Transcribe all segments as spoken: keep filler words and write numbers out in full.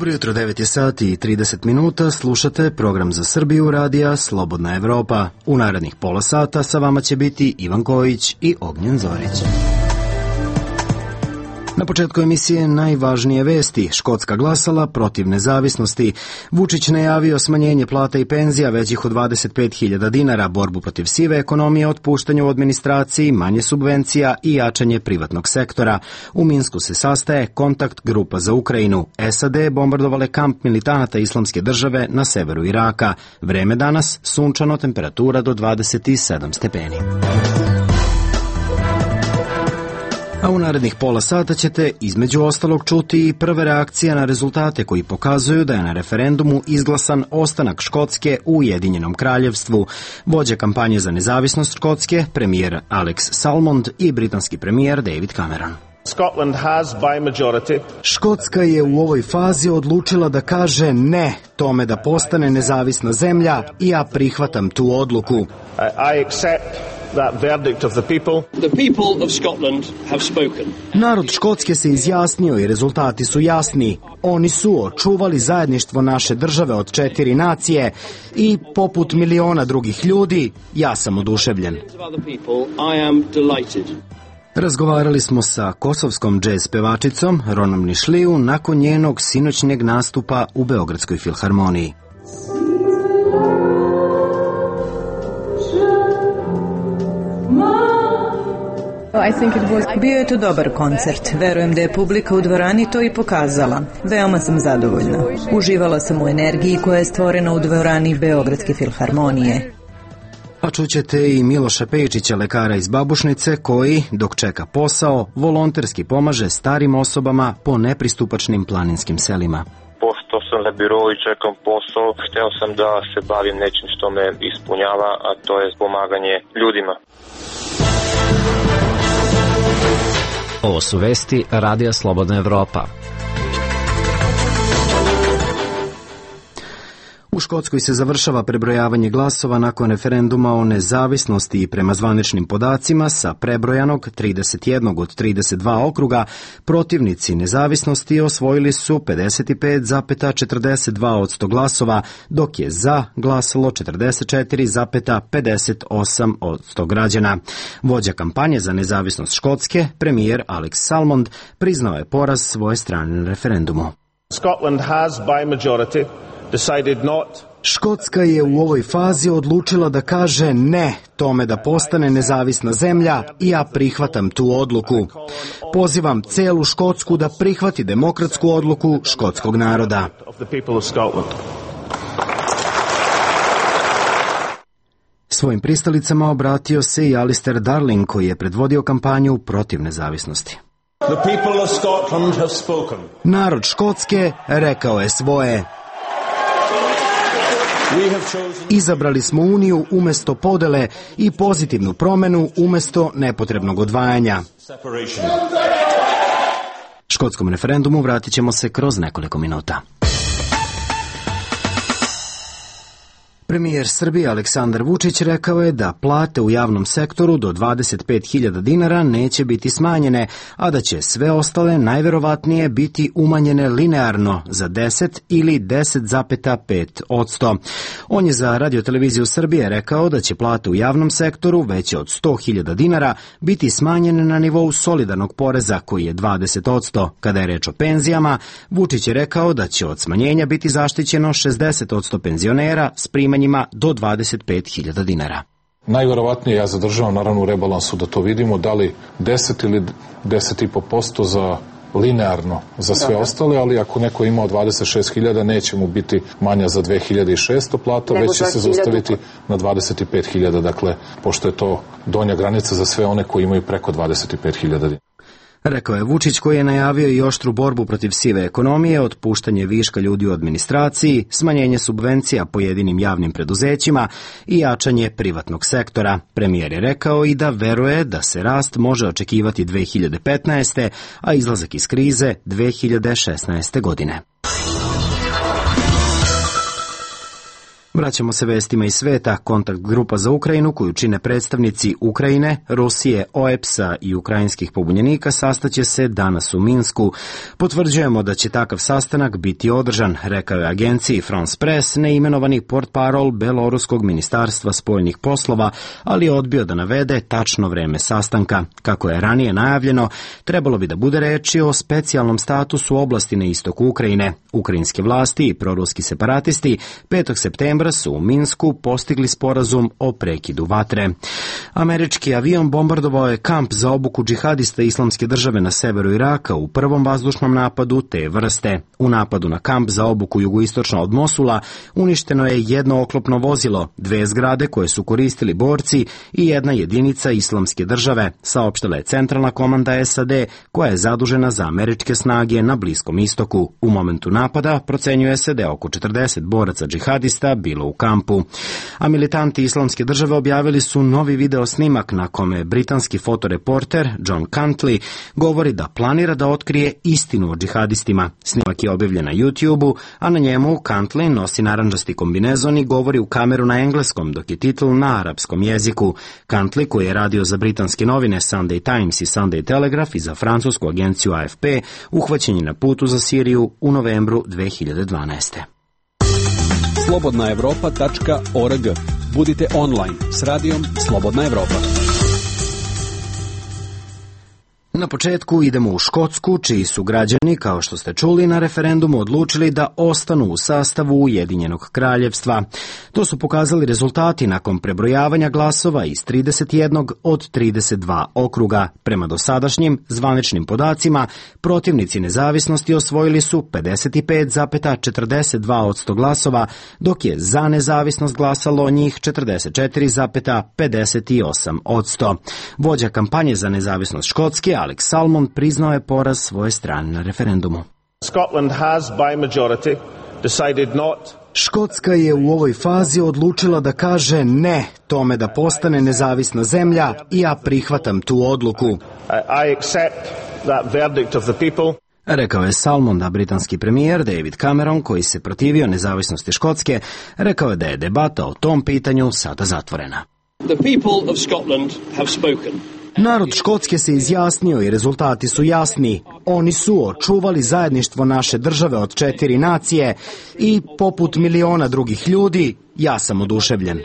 Dobro jutro, devet je sati i trideset minuta, slušate program za Srbiju radija Slobodna Evropa. U narednih pola sata sa vama će biti Ivan Kojić i Ognjen Zorić. Na početku emisije najvažnije vesti. Škotska glasala protiv nezavisnosti. Vučić najavio smanjenje plata i penzija većih od dvadeset pet hiljada dinara, borbu protiv sive ekonomije, otpuštanje u administraciji, manje subvencija i jačanje privatnog sektora. U Minsku se sastaje kontakt grupa za Ukrajinu. S A D bombardovale kamp militanata Islamske države na severu Iraka. Vreme danas sunčano, temperatura do dvadeset sedam stepeni. A u narednih pola sata ćete između ostalog čuti i prve reakcije na rezultate koji pokazuju da je na referendumu izglasan ostanak Škotske u Ujedinjenom kraljevstvu. Vođa kampanje za nezavisnost Škotske, premijer Alex Salmond i britanski premijer David Cameron. Scotland has by majority. Škotska je u ovoj fazi odlučila da kaže ne tome da postane nezavisna zemlja i ja prihvatam tu odluku. I, I accept that verdict of the people. The people of Scotland have spoken. Narod Škotske se izjasnio i rezultati su jasni. Oni su očuvali zajedništvo naše države od četiri nacije i poput miliona drugih ljudi, ja sam oduševljen. Razgovarali smo sa kosovskom džez pevačicom Ronom Nišliju nakon njenog sinoćnjeg nastupa u Beogradskoj filharmoniji. Bio je to dobar koncert. Verujem da je publika u dvorani to i pokazala. Veoma sam zadovoljna. Uživala sam u energiji koja je stvorena u dvorani Beogradske filharmonije. A čućete i Miloša Pejčića, lekara iz Babušnice, koji, dok čeka posao, volonterski pomaže starim osobama po nepristupačnim planinskim selima. Pošto sam na birou i čekam posao, hteo sam da se bavim nečim što me ispunjava, a to je pomaganje ljudima. Ovo su vesti Radija Slobodna Evropa. U Škotskoj se završava prebrojavanje glasova nakon referenduma o nezavisnosti i prema zvaničnim podacima sa prebrojanog trideset jedan od trideset dva okruga protivnici nezavisnosti osvojili su pedeset pet zarez četrdeset dva posto glasova, dok je za glasalo četrdeset četiri zarez pedeset osam posto građana. Vođa kampanje za nezavisnost Škotske, premijer Alex Salmond, priznao je poraz svoje strane na referendumu. Scotland has by majority decided not. Škotska je u ovoj fazi odlučila da kaže ne tome da postane nezavisna zemlja i ja prihvatam tu odluku. Pozivam celu Škotsku da prihvati demokratsku odluku škotskog naroda. Svojim pristalicama obratio se i Alistair Darling, koji je predvodio kampanju protiv nezavisnosti. The people of Scotland have spoken. Narod Škotske rekao je svoje. Izabrali smo uniju umesto podele i pozitivnu promenu umesto nepotrebnog odvajanja. Škotskom referendumu vratit ćemo se kroz nekoliko minuta. Premijer Srbije Aleksandar Vučić rekao je da plate u javnom sektoru do dvadeset pet hiljada dinara neće biti smanjene, a da će sve ostale najverovatnije biti umanjene linearno za deset ili deset zarez pet posto. On je za Radio-televiziju Srbije rekao da će plate u javnom sektoru veće od sto hiljada dinara biti smanjene na nivou solidarnog poreza koji je dvadeset posto. Kada je reč o penzijama, Vučić je rekao da će od smanjenja biti zaštićeno šezdeset posto penzionera s primanjima do dvadeset pet hiljada dinara. Najverovatnije ja zadržavam naravno u rebalansu da to vidimo, da li deset ili deset i po posto za linearno za sve da, ostale, ali ako neko ima dvadeset šest hiljada neće mu biti manja za dve hiljade šesto plata, nego već će se zaustaviti na dvadeset pet hiljada, dakle, pošto je to donja granica za sve one koji imaju preko dvadeset pet hiljada dinara. Rekao je Vučić, koji je najavio i oštru borbu protiv sive ekonomije, otpuštanje viška ljudi u administraciji, smanjenje subvencija pojedinim javnim preduzećima i jačanje privatnog sektora. Premijer je rekao i da veruje da se rast može očekivati dve hiljade petnaeste. a izlazak iz krize dve hiljade šesnaeste. godine. Vraćamo se vestima iz sveta. Kontakt grupa za Ukrajinu, koju čine predstavnici Ukrajine, Rusije, O E P S-a i ukrajinskih pobunjenika, sastaće se danas u Minsku. Potvrđujemo da će takav sastanak biti održan, rekao je agenciji France Press neimenovani portparol Beloruskog ministarstva spoljnih poslova, ali je odbio da navede tačno vreme sastanka. Kako je ranije najavljeno, trebalo bi da bude reči o specijalnom statusu oblasti na istoku Ukrajine. Ukrajinske vlasti i proruski separatisti petog septembra su u Minsku postigli sporazum o prekidu vatre. Američki avion bombardovao je kamp za obuku džihadista Islamske države na severu Iraka u prvom vazdušnom napadu te vrste. U napadu na kamp za obuku jugoistočno od Mosula uništeno je jedno oklopno vozilo, dve zgrade koje su koristili borci i jedna jedinica Islamske države, saopštila je centralna komanda S A D koja je zadužena za američke snage na Bliskom istoku. U momentu napada procenjuje se da je oko četrdeset boraca džihadista bilo u kampu. A militanti Islamske države objavili su novi video snimak na kome britanski fotoreporter John Cantley govori da planira da otkrije istinu o džihadistima. Snimak je objavljen na YouTube-u, a na njemu Cantley nosi narandžasti kombinezon i govori u kameru na engleskom, dok je titl na arapskom jeziku. Cantley, koji je radio za britanske novine Sunday Times i Sunday Telegraph i za francusku agenciju A F P, uhvaćen je na putu za Siriju u novembru dve hiljade dvanaeste. slobodna evropa tačka org. Budite online s radijom Slobodna Evropa. Na početku idemo u Škotsku, čiji su građani, kao što ste čuli, na referendumu odlučili da ostanu u sastavu Ujedinjenog kraljevstva. To su pokazali rezultati nakon prebrojavanja glasova iz trideset jedan od trideset dva okruga. Prema dosadašnjim zvaničnim podacima, protivnici nezavisnosti osvojili su pedeset pet zarez četrdeset dva posto glasova, dok je za nezavisnost glasalo njih četrdeset četiri zarez pedeset osam posto. Vođa kampanje za nezavisnost Škotske, Alex Salmond, priznao je poraz svoje strane na referendumu. Scotland has by majority decided not Škotska je u ovoj fazi odlučila da kaže ne tome da postane nezavisna zemlja i ja prihvatam tu odluku. I accept that verdict of the people. Rekao je Salmond, a britanski premijer David Cameron, koji se protivio nezavisnosti Škotske, rekao je da je debata o tom pitanju sada zatvorena. The people of Scotland have spoken. Narod Škotske se izjasnio i rezultati su jasni. Oni su očuvali zajedništvo naše države od četiri nacije i, poput miliona drugih ljudi, ja sam oduševljen.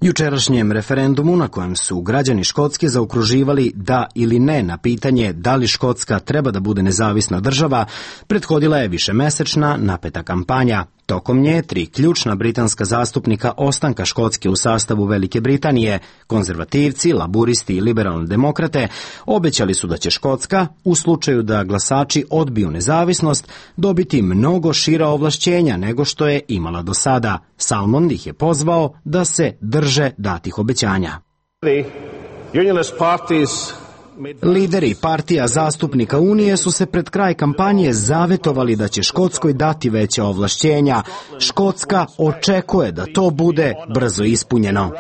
Jučerašnjem referendumu, na kojem su građani Škotske zaokruživali da ili ne na pitanje da li Škotska treba da bude nezavisna država, prethodila je višemesečna napeta kampanja. Tokom nje tri ključna britanska zastupnika ostanka Škotske u sastavu Velike Britanije, konzervativci, laburisti i liberalne demokrate, obećali su da će Škotska, u slučaju da glasači odbiju nezavisnost, dobiti mnogo šira ovlašćenja nego što je imala do sada. Salmond ih je pozvao da se drže datih obećanja. Lideri partija zastupnika Unije su se pred kraj kampanje zavetovali da će Škotskoj dati veća ovlašćenja. Škotska očekuje da to bude brzo ispunjeno.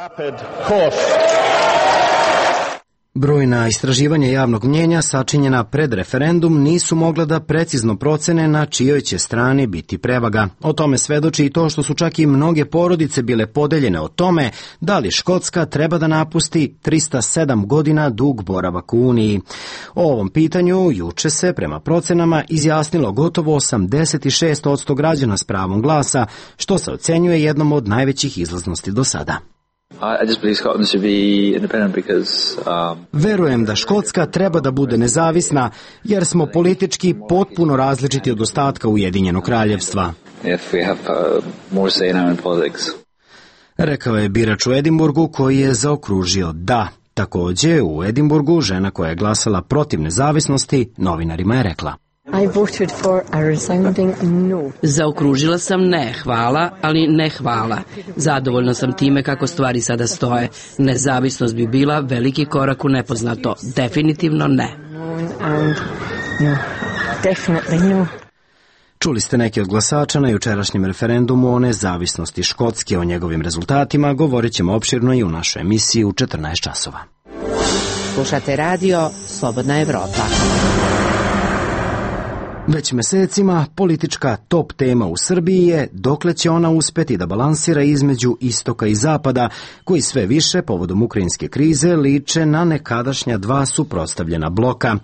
Brojna istraživanja javnog mnjenja sačinjena pred referendum nisu mogla da precizno procene na čijoj će strani biti prevaga. O tome svedoči i to što su čak i mnoge porodice bile podeljene o tome da li Škotska treba da napusti trista sedam godina dug boravak u Uniji. O ovom pitanju juče se prema procenama izjasnilo gotovo osamdeset šest posto građana s pravom glasa, što se ocenjuje jednom od najvećih izlaznosti do sada. I just believe Scotland should be independent because um Verujem da Škotska treba da bude nezavisna jer smo politički potpuno različiti od ostatka Ujedinjenog kraljevstva. if we have uh, more say now in politics. Rekao je birač u Edinburgu koji je zaokružio da. Takođe, u Edinburgu žena koja je glasala protiv nezavisnosti novinarima je rekla: I voted for a resounding no. Zaokružila sam ne, hvala, ali ne hvala. Zadovoljna sam time kako stvari sada stoje. Nezavisnost bi bila veliki korak u nepoznato. Definitivno ne. And no, definitely no. Čuli ste neki od glasača na jučerašnjem referendumu o nezavisnosti Škotske. O njegovim rezultatima govorit ćemo opširno i u našoj emisiji u četrnaest časova. Slušate radio Slobodna Evropa. Već mesecima politička top tema u Srbiji je dokle će ona uspeti da balansira između istoka i zapada, koji sve više povodom ukrajinske krize liče na nekadašnja dva suprotstavljena bloka.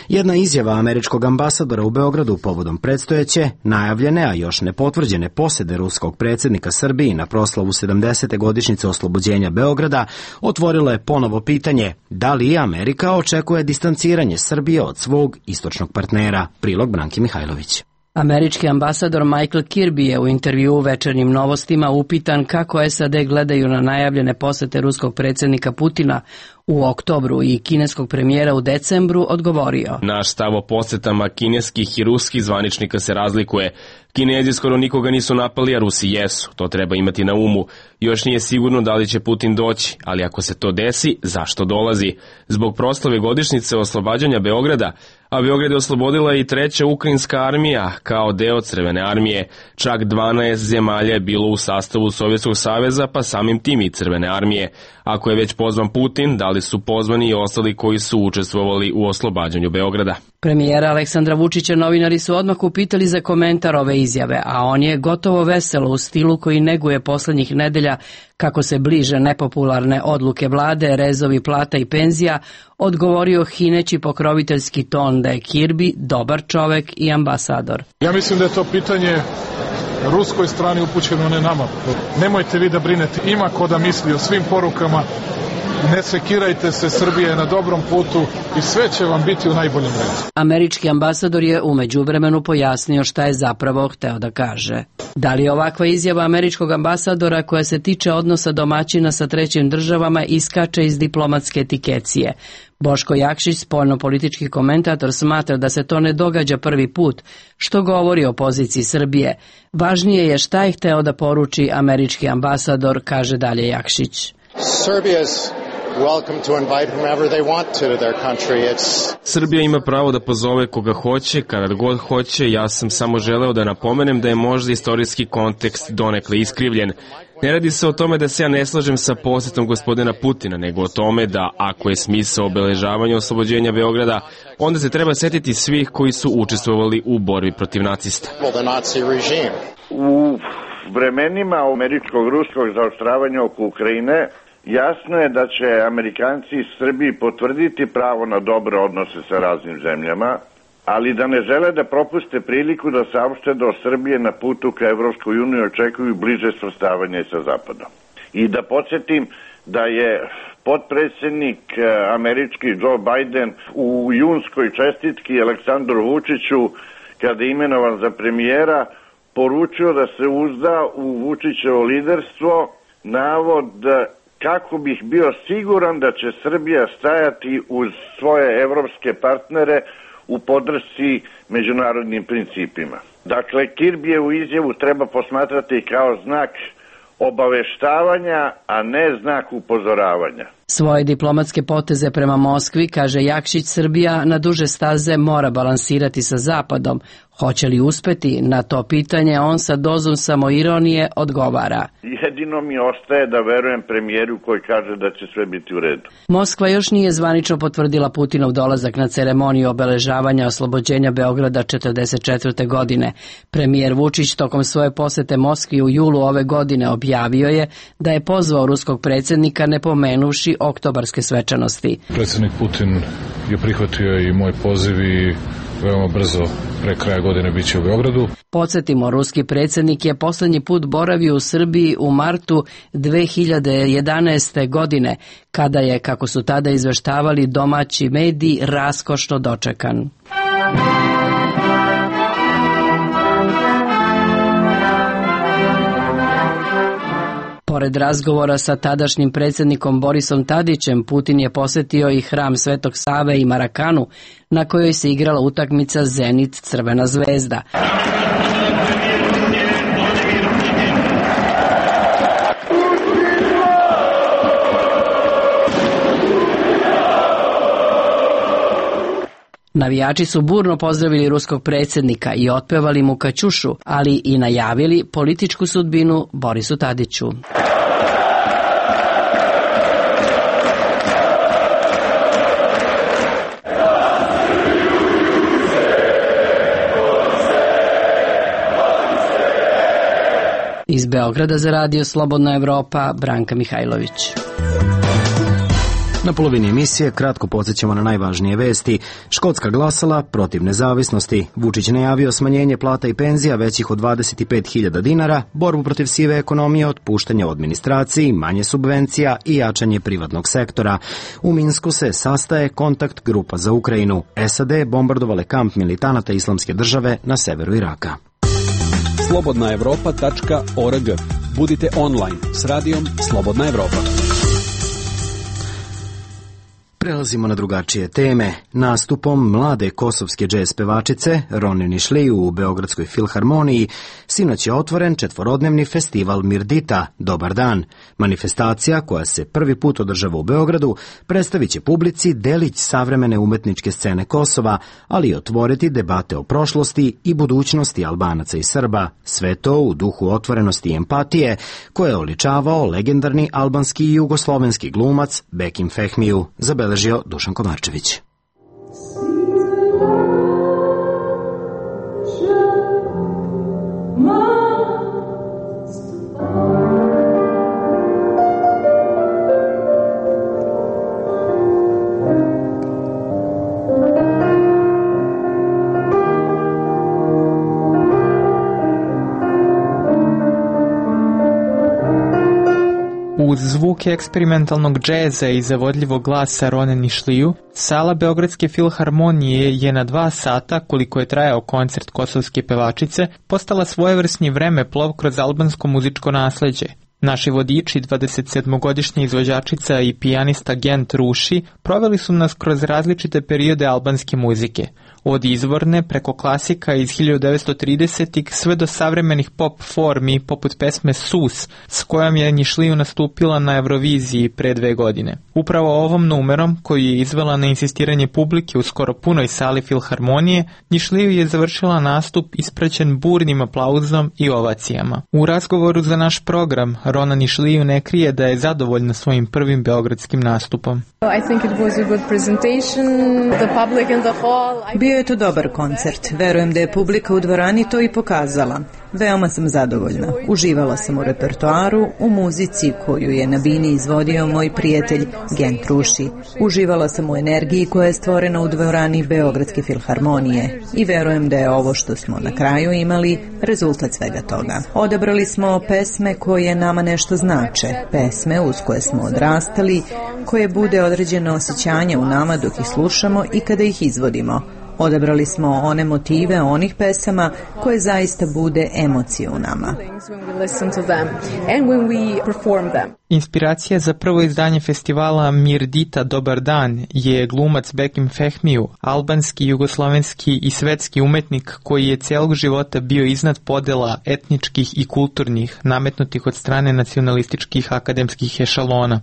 Jedna izjava američkog ambasadora u Beogradu povodom predstojeće, najavljene, a još ne potvrđene posede ruskog predsjednika Srbiji na proslavu sedamdesete godišnjice oslobođenja Beograda otvorila je ponovo pitanje da li Amerika očekuje distanciranje Srbije od svog istočnog partnera. Prilog Branki Mihajlović. Američki ambasador Michael Kirby je u intervju u Večernjim novostima upitan kako S A D gledaju na najavljene posete ruskog predsjednika Putina u oktobru i kineskog premijera u decembru, odgovorio: Naš stav o posetama kineskih i ruskih zvaničnika se razlikuje. Kinezi skoro nikoga nisu napali, a Rusi jesu. To treba imati na umu. Još nije sigurno da li će Putin doći, ali ako se to desi, zašto dolazi? Zbog proslave godišnjice oslobađanja Beograda, a Beograd je oslobodila i treća ukrajinska armija kao deo Crvene armije. Čak dvanaest zemalja je bilo u sastavu Sovjetskog saveza, pa samim tim i Crvene armije. Ako je već pozvan Putin, da li su pozvani i ostali koji su učestvovali u oslobađanju Beograda? Premijera Aleksandra Vučića novinari su odmah upitali za komentar ove izjave, a on je gotovo veselo u stilu koji neguje poslednjih nedelja kako se bliže nepopularne odluke vlade, rezovi plata i penzija, odgovorio hineći pokroviteljski ton da je Kirby dobar čovek i ambasador. Ja mislim da je to pitanje ruskoj strani upućeno, ne nama. Nemojte vi da brinete, ima ko da misli o svim porukama. Ne sekirajte se, Srbija je na dobrom putu i sve će vam biti u najboljem redu. Američki ambasador je u međuvremenu pojasnio šta je zapravo hteo da kaže. Da li je ovakva izjava američkog ambasadora koja se tiče odnosa domaćina sa trećim državama iskače iz diplomatske etikecije? Boško Jakšić, spoljnopolitički komentator, smatra da se to ne događa prvi put, što govori o poziciji Srbije. Važnije je šta je hteo da poruči američki ambasador, kaže dalje Jakšić. Srbija ima pravo da pozove koga hoće, kada god hoće. Ja sam samo želeo da napomenem da je možda istorijski kontekst donekle iskrivljen. Ne radi se o tome da se ja ne slažem sa posetom gospodina Putina, nego o tome da ako je smisao obeležavanja oslobođenja Beograda, onda se treba setiti svih koji su učestvovali u borbi protiv nacista. U vremenima američkog-ruskog zaoštravanja oko Ukrajine jasno je da će Amerikanci iz Srbiji potvrditi pravo na dobre odnose sa raznim zemljama, ali da ne žele da propuste priliku da saopšte da od Srbije na putu ka Evropskoj uniji očekuju bliže svrstavanje sa Zapadom. I da podsjetim da je potpredsjednik američki Joe Biden u junskoj čestitki Aleksandru Vučiću, kada je imenovan za premijera, poručio da se uzda u Vučićevo liderstvo, navod kako bih bio siguran da će Srbija stajati uz svoje evropske partnere u podršci međunarodnim principima. Dakle, Kirbijevu izjavu treba posmatrati kao znak obaveštavanja, a ne znak upozoravanja. Svoje diplomatske poteze prema Moskvi, kaže Jakšić, Srbija na duže staze mora balansirati sa Zapadom. Hoće li uspeti? Na to pitanje on sa dozom samoironije odgovara. Jedino mi ostaje da verujem premijeru koji kaže da će sve biti u redu. Moskva još nije zvanično potvrdila Putinov dolazak na ceremoniju obeležavanja oslobođenja Beograda četrdeset četvrte godine. Premijer Vučić tokom svoje posete Moskvi u julu ove godine objavio je da je pozvao ruskog predsjednika ne pomenuvši oktobarske svečanosti. Predsjednik Putin je prihvatio i moj poziv i veoma brzo pre kraja godine biće u Beogradu. Podsjetimo, ruski predsjednik je poslednji put boravio u Srbiji u martu dve hiljade jedanaeste. godine, kada je, kako su tada izveštavali domaći mediji, raskošno dočekan. Pored razgovora sa tadašnjim predsjednikom Borisom Tadićem, Putin je posetio i hram Svetog Save i Marakanu, na kojoj se igrala utakmica Zenit-Crvena zvezda. Navijači su burno pozdravili ruskog predsjednika i otpevali mu Kaćušu, ali i najavili političku sudbinu Borisu Tadiću. Iz Beograda za Radio Slobodna Evropa, Branka Mihajlović. Na polovini emisije kratko podsjećamo na najvažnije vesti. Škotska glasala protiv nezavisnosti. Vučić najavio smanjenje plata i penzija većih od dvadeset pet hiljada dinara, borbu protiv sive ekonomije, otpuštanje u administraciji, manje subvencija i jačanje privatnog sektora. U Minsku se sastaje kontakt grupa za Ukrajinu. S A D bombardovale kamp militanata Islamske države na severu Iraka. slobodna evropa tačka org. Budite online s radijom Slobodna Evropa. Prelazimo na drugačije teme. Nastupom mlade kosovske džez pevačice Rone Nišliju u Beogradskoj filharmoniji sinoć je otvoren četvorodnevni festival Mirdita, Dobar dan. Manifestacija koja se prvi put održava u Beogradu predstavit će publici delić savremene umetničke scene Kosova, ali i otvoriti debate o prošlosti i budućnosti Albanaca i Srba. Sve to u duhu otvorenosti i empatije koje je oličavao legendarni albanski i jugoslovenski glumac Bekim Fehmiju, zabeležio Dušan Komarčević. Uz zvuke eksperimentalnog džeza i zavodljivog glasa Rone Nišliju, sala Beogradske filharmonije je na dva sata, koliko je trajao koncert kosovske pevačice, postala svojevrsni vremeplov kroz albansko muzičko nasleđe. Naši vodiči, dvadesetsedmogodišnja izvođačica i pijanista Gent Ruši, proveli su nas kroz različite periode albanske muzike. Od izvorne preko klasika iz hiljadu devetsto tridesetih sve do savremenih pop formi poput pesme Sus, s kojom je Nišliju nastupila na Euroviziji pre dve godine. Upravo ovom numerom, koju je izvela na insistiranje publike u skoro punoj sali filharmonije, Nišliju je završila nastup ispraćen burnim aplauzom i ovacijama. U razgovoru za naš program, Rona Nišliju ne krije da je zadovoljna svojim prvim beogradskim nastupom. I think it was a good presentation. The public in the hall. Bio je to dobar koncert. Verujem da je publika u dvorani to i pokazala. Veoma sam zadovoljna. Uživala sam u repertoaru, u muzici koju je na bini izvodio moj prijatelj Gent Ruši. Uživala sam u energiji koja je stvorena u dvorani Beogradske filharmonije i verujem da je ovo što smo na kraju imali rezultat svega toga. Odabrali smo pesme koje nama nešto znače, pesme uz koje smo odrastali, koje bude određeno osjećanje u nama dok ih slušamo i kada ih izvodimo. Odabrali smo one motive onih pesama koje zaista bude emocije u nama. Inspiracija za prvo izdanje festivala Mirdita Dobar dan je glumac Bekim Fehmiju, albanski, jugoslovenski i svetski umetnik koji je celog života bio iznad podela etničkih i kulturnih nametnutih od strane nacionalističkih akademskih ešalona.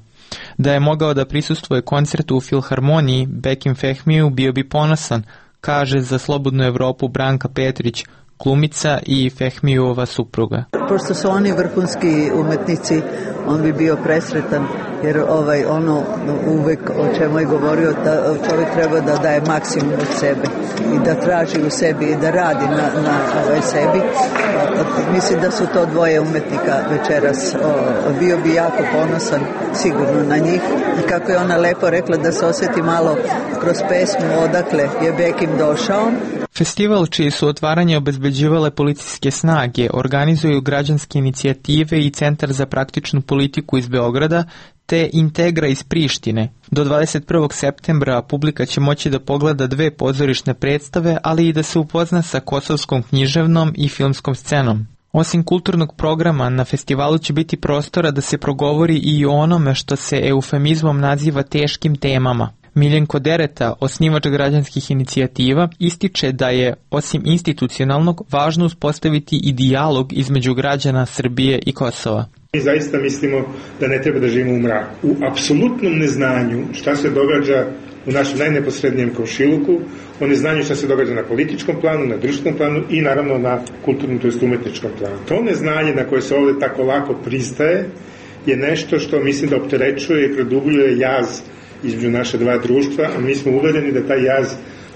Da je mogao da prisustvuje koncertu u filharmoniji, Bekim Fehmiju bio bi ponosan, kaže za Slobodnu Evropu Branka Petrić, glumica i Fehmijova supruga. Pošto su oni vrhunski umetnici, on bi bio presretan, jer ovaj ono uvek o čemu je govorio da čovjek treba da daje maksimum od sebe i da traži u sebi i da radi na, na ovaj sebi. Mislim da su to dvoje umetnika večeras. O, bio bi jako ponosan sigurno na njih i kako je ona lepo rekla da se osjeti malo kroz pesmu odakle je Bekim došao. Festival čije su otvaranje obezbeđivale policijske snage organizuju građanske inicijative i Centar za praktičnu politiku iz Beograda te Integra iz Prištine. Do dvadeset prvog septembra publika će moći da pogleda dve pozorišne predstave, ali i da se upozna sa kosovskom književnom i filmskom scenom. Osim kulturnog programa, na festivalu će biti prostora da se progovori i o onome što se eufemizmom naziva teškim temama. Miljenko Dereta, osnivač građanskih inicijativa, ističe da je, osim institucionalnog, važno uspostaviti i dijalog između građana Srbije i Kosova. Mi zaista mislimo da ne treba da živimo u mraku. U apsolutnom neznanju šta se događa u našem najneposrednijem komšiluku, o neznanju šta se događa na političkom planu, na društvenom planu i naravno na kulturnom, to jest umetničkom planu. To neznanje na koje se ovde tako lako pristaje je nešto što mislim da opterećuje i produbljuje jaz između naše dva društva, a mi smo uvereni da taj jaz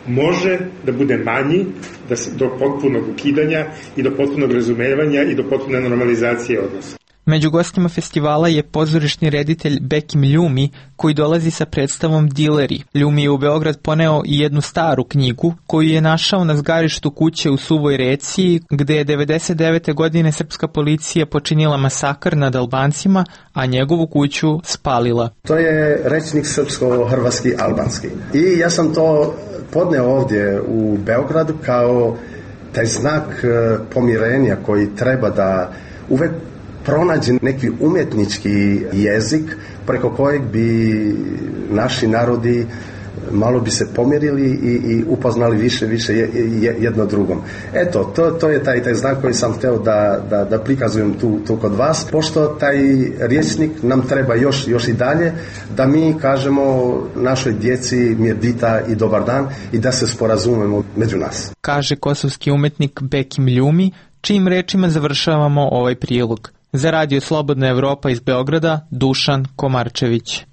može da bude manji da se, do potpunog ukidanja i do potpunog razumevanja i do potpune normalizacije odnosa. Među gostima festivala je pozorišni reditelj Bekim Ljumi, koji dolazi sa predstavom Dileri. Ljumi je u Beograd poneo i jednu staru knjigu koju je našao na zgarištu kuće u Suvoj Reci, gde je devedeset devete godine srpska policija počinila masakr nad Albancima, a njegovu kuću spalila. To je rečnik srpsko-hrvatski albanski. I ja sam to podneo ovdje u Beogradu kao taj znak pomirenja koji treba da uvek pronađe neki umjetnički jezik preko kojeg bi naši narodi malo bi se pomirili i, i upoznali više više jedno drugom. Eto, to, to je taj, taj znak koji sam hteo da, da, da prikazujem tu, tu kod vas, pošto taj rječnik nam treba još, još i dalje, da mi kažemo našoj djeci mirdita i dobar dan i da se sporazumemo među nas. Kaže kosovski umetnik Bekim Ljumi, čijim rečima završavamo ovaj prilog. Za radio Slobodna Evropa iz Beograda, Dušan Komarčević.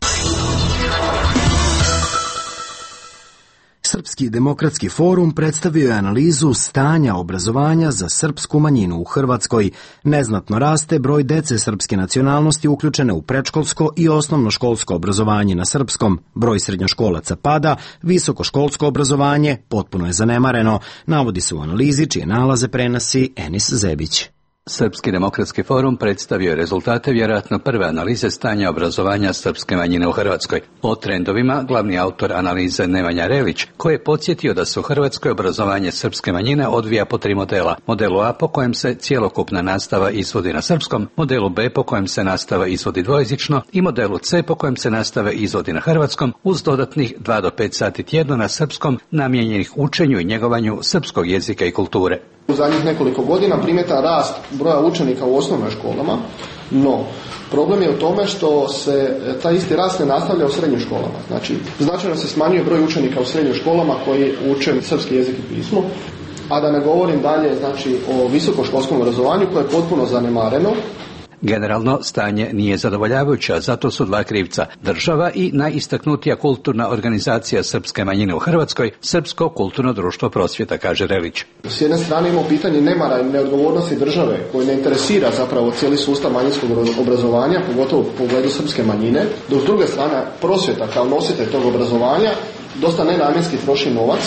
Srpski demokratski forum predstavio je analizu stanja obrazovanja za srpsku manjinu u Hrvatskoj. Neznatno raste broj dece srpske nacionalnosti uključene u predškolsko i osnovnoškolsko obrazovanje na srpskom. Broj srednjoškolaca pada, visokoškolsko obrazovanje potpuno je zanemareno, navodi se u analizi čije nalaze prenosi Enis Zebić. Srpski demokratski forum predstavio je rezultate vjerojatno prve analize stanja obrazovanja srpske manjine u Hrvatskoj. O trendovima glavni autor analize Nemanja Relić, koji je podsjetio da se u Hrvatskoj obrazovanje srpske manjine odvija po tri modela. Modelu A po kojem se cjelokupna nastava izvodi na srpskom, modelu B po kojem se nastava izvodi dvojezično i modelu C po kojem se nastava izvodi na hrvatskom uz dodatnih dva do pet sati tjedno na srpskom namijenjenih učenju i njegovanju srpskog jezika i kulture. U zadnjih nekoliko godina primjetan rast broja učenika u osnovnim školama, no problem je u tome što se taj isti rast ne nastavlja u srednjim školama. Znači, značajno se smanjuje broj učenika u srednjim školama koji uče srpski jezik i pismo, a da ne govorim dalje znači, o visokoškolskom obrazovanju koje je potpuno zanemareno. Generalno stanje nije zadovoljavajuće, zato su dva krivca: država i najistaknutija kulturna organizacija srpske manjine u Hrvatskoj, Srpsko kulturno društvo prosvjeta, kaže Relić. S jedne strane imamo pitanje nemara i neodgovornosti države koje ne interesira zapravo cijeli sustav manjinskog obrazovanja, pogotovo u pogledu srpske manjine, dok s druge strane prosvjeta kao nositelj tog obrazovanja dosta nenamjenski troši novac.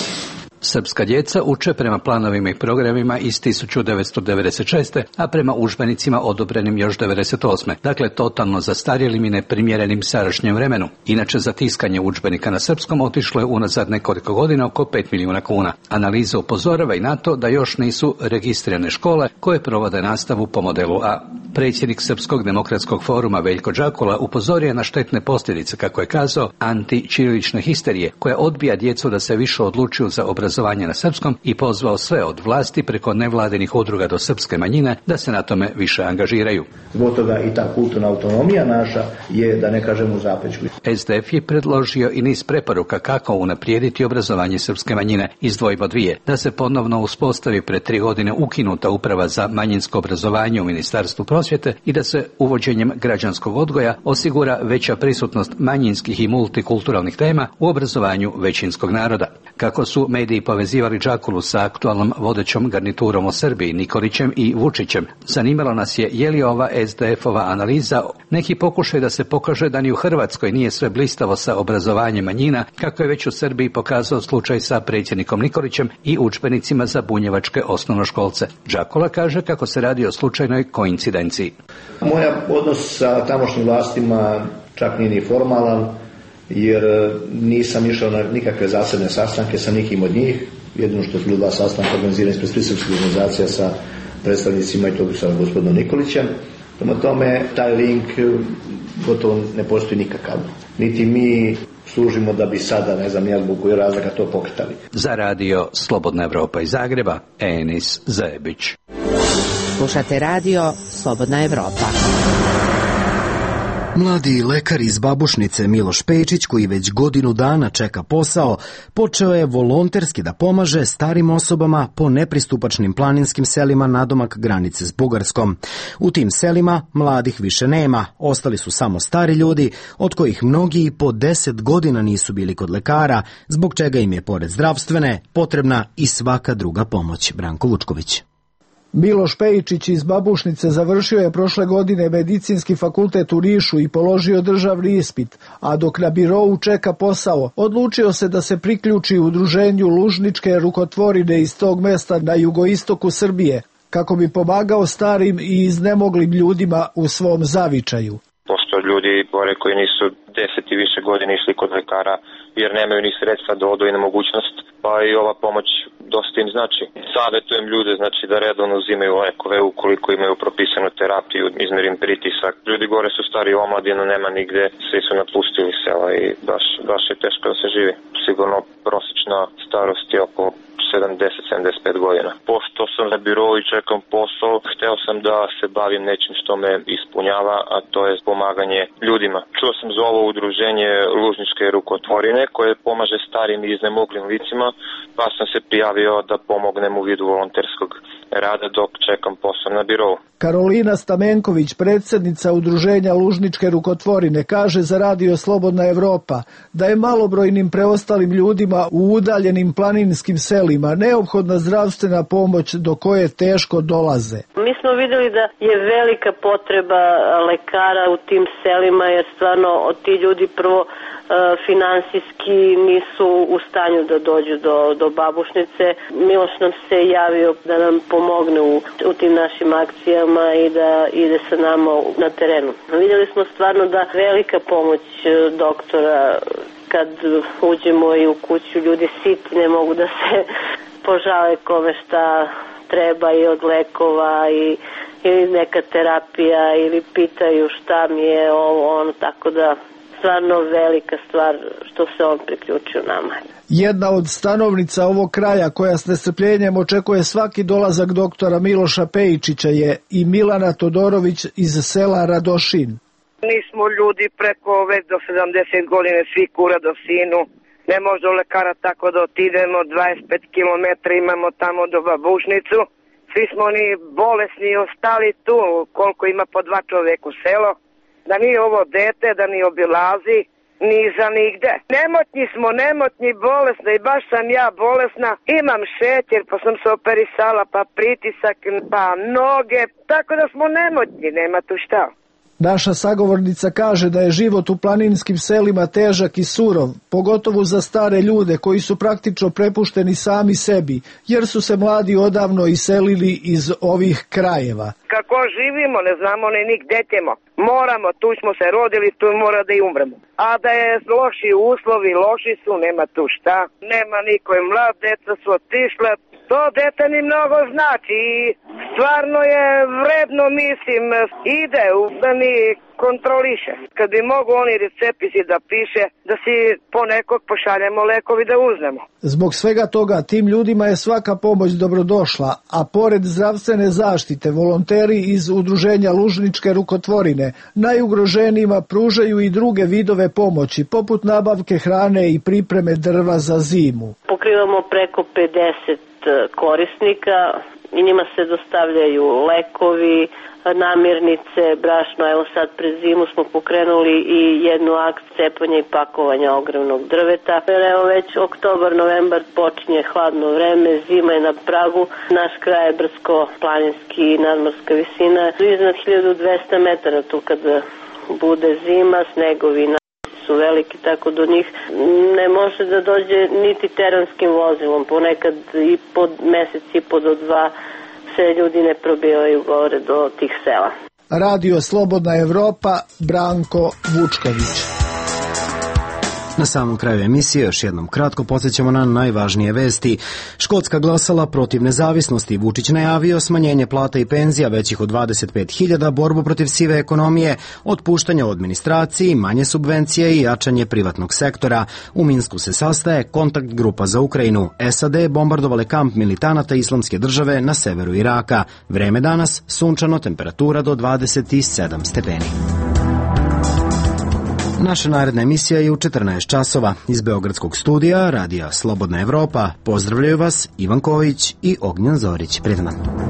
Srpska djeca uče prema planovima i programima iz tisuću devetsto devedeset šeste. a prema udžbenicima odobrenim još devedeset osme. Dakle, totalno zastarjelim i neprimjerenim sadašnjem vremenu. Inače, za tiskanje udžbenika na srpskom otišlo je unazad nekoliko godina oko pet milijuna kuna. Analiza upozorava i na to da još nisu registrirane škole koje provode nastavu po modelu A. Predsjednik Srpskog demokratskog foruma Veljko Đakula upozorio na štetne posljedice, kako je kazao, antićirilične histerije, koja odbija djecu da se više odlučuju za obrazovanje na srpskom i pozvao sve od vlasti preko nevladinih udruga do srpske manjine da se na tome više angažiraju. Zbog toga i ta kulturna autonomija naša je, da ne kažem, u zapećku. S D F je predložio i niz preporuka kako unaprijediti obrazovanje srpske manjine. Izdvojimo dvije: da se ponovno uspostavi pred tri godine ukinuta uprava za manjinsko obrazovanje u Ministarstvu prosvjete i da se uvođenjem građanskog odgoja osigura veća prisutnost manjinskih i multikulturalnih tema u obrazovanju većinskog naroda. Kako su mediji povezivali Đakulu sa aktualnom vodećom garniturom o Srbiji, Nikolićem i Vučićem, zanimalo nas je je li ova S D F-ova analiza neki pokušaj da se pokaže da ni u Hrvatskoj nije sve blistavo sa obrazovanjem manjina, kako je već u Srbiji pokazao slučaj sa predsjednikom Nikolićem i udžbenicima za bunjevačke osnovnoškolce. Đakula kaže kako se radi o slučajnoj koincidenciji. Moj odnos sa tamošnjim vlastima čak nije ni formalan, jer nisam išao na nikakve zasebne sastanke sa nikim od njih. Jedino što su bili dva sastanka organizirani ispred svih srpskih organizacija sa predstavnicima i tog sa gospodinom Nikolićem. Prema tome, taj link gotovo ne postoji nikakav. Niti mi služimo da bi sada, ne znam, ja zbog kojeg razloga to pokretali. Za radio Slobodna Evropa iz Zagreba, Enis Zebić. Slušate radio Slobodna Evropa. Mladi lekar iz Babušnice Miloš Pejčić, koji već godinu dana čeka posao, počeo je volonterski da pomaže starim osobama po nepristupačnim planinskim selima nadomak granice s Bugarskom. U tim selima mladih više nema, ostali su samo stari ljudi, od kojih mnogi i po deset godina nisu bili kod lekara, zbog čega im je pored zdravstvene potrebna i svaka druga pomoć. Branko Vučković. Miloš Pejčić iz Babušnice završio je prošle godine medicinski fakultet u Nišu i položio državni ispit, a dok na birou čeka posao, odlučio se da se priključi udruženju Lužničke rukotvorine iz tog mesta na jugoistoku Srbije, kako bi pomagao starim i iznemoglim ljudima u svom zavičaju. Postoje ljudi gore koji nisu deset i više godina išli kod lekara jer nemaju ni sredstva da odu i na mogućnost, pa i ova pomoć dosta im znači. Savjetujem ljude znači da redovno uzimaju lekove ukoliko imaju propisanu terapiju, izmerim pritisak. Ljudi gore su stari omladino, nema nigde, svi su napustili sela i baš, baš je teško da se živi. Sigurno prosječna starost je oko sedamdeset do sedamdeset pet godina. Pošto sam na birou i čekam posao, hteo sam da se bavim nečim što me ispunjava, a to je pomaganje ljudima. Čuo sam za ovo udruženje Lužničke rukotvorine koje pomaže starim i iznemoglim licima, pa sam se prijavio da pomognem u vidu volonterskog rada dok čekam posao na birou. Karolina Stamenković, predsjednica udruženja Lužničke rukotvorine, kaže za Radio Slobodna Evropa da je malobrojnim preostalim ljudima u udaljenim planinskim selima neophodna zdravstvena pomoć do koje teško dolaze. Mi smo vidjeli da je velika potreba lekara u tim selima jer stvarno ti ljudi prvo finansijski nisu u stanju da dođu do, do Babušnice. Miloš nam se javio da nam pomogne u, u tim našim akcijama i da ide sa nama na terenu. Vidjeli smo stvarno da velika pomoć doktora kad uđemo i u kuću, ljudi siti ne mogu da se požale kome šta treba i od lekova i, ili neka terapija ili pitaju šta mi je ovo, ono, tako da stvarno velika stvar što se on priključio nama. Jedna od stanovnica ovog kraja koja s nestrpljenjem očekuje svaki dolazak doktora Miloša Pejčića je i Milana Todorović iz sela Radošin. Mi smo ljudi preko već do sedamdeset godine, svi kura do sinu. Ne može do lekara tako da otidemo, dvadeset pet kilometara imamo tamo do Babušnicu. Svi smo oni bolesni ostali tu, koliko ima po dva čoveka u selo. Da nije ovo dete, da ni obilazi, ni za nigde. Nemotni smo, nemotni, bolesni i baš sam ja bolesna. Imam šećer, pa sam se operisala, pa pritisak, pa noge, tako da smo nemotni, nema tu šta. Naša sagovornica kaže da je život u planinskim selima težak i surov, pogotovo za stare ljude koji su praktično prepušteni sami sebi, jer su se mladi odavno iselili iz ovih krajeva. Kako živimo, ne znamo ni ni gde ćemo. Moramo, tu smo se rodili, tu mora da i umremo. A da je loši uslovi, loši su, nema tu šta. Nema niko je mlad, deca su otišle. To dete ni mnogo znači i stvarno je vredno, mislim, ide da ni kontroliše. Kad bi mogu oni recepisi da piše, da si po nekog pošaljemo lekovi da uznemo. Zbog svega toga tim ljudima je svaka pomoć dobrodošla, a pored zdravstvene zaštite volonteri iz udruženja Lužničke rukotvorine najugroženijima pružaju i druge vidove pomoći, poput nabavke hrane i pripreme drva za zimu. Pokrivamo preko pedeset korisnika i njima se dostavljaju lekovi, namirnice, brašno. Evo sad pred zimu smo pokrenuli i jednu akt cepanja i pakovanja ogromnog drveta. Evo već oktobar, novembar počinje hladno vreme, zima je na pragu. Naš kraj je brdsko-planinski i nadmorska visina. Iznad hiljadu dvesta metara tu kada bude zima, snegovi su veliki, tako do njih ne može da dođe niti teranskim vozilom. Ponekad i pod mesec i po do dva se ljudi ne probijaju gore do tih sela. Radio Slobodna Evropa, Branko Vučković. Na samom kraju emisije još jednom kratko podsjećamo na najvažnije vesti. Škotska glasala protiv nezavisnosti. Vučić najavio smanjenje plata i penzija većih od dvadeset pet hiljada, borbu protiv sive ekonomije, otpuštanje u administraciji, manje subvencije i jačanje privatnog sektora. U Minsku se sastaje kontakt grupa za Ukrajinu. S A D bombardovale kamp militanata Islamske države na severu Iraka. Vreme danas sunčano, temperatura do dvadeset sedam stepeni. Naša naredna emisija je u četrnaest časova. Iz Beogradskog studija Radija Slobodna Evropa pozdravljaju vas Ivan Kojić i Ognjan Zorić. Prijatno.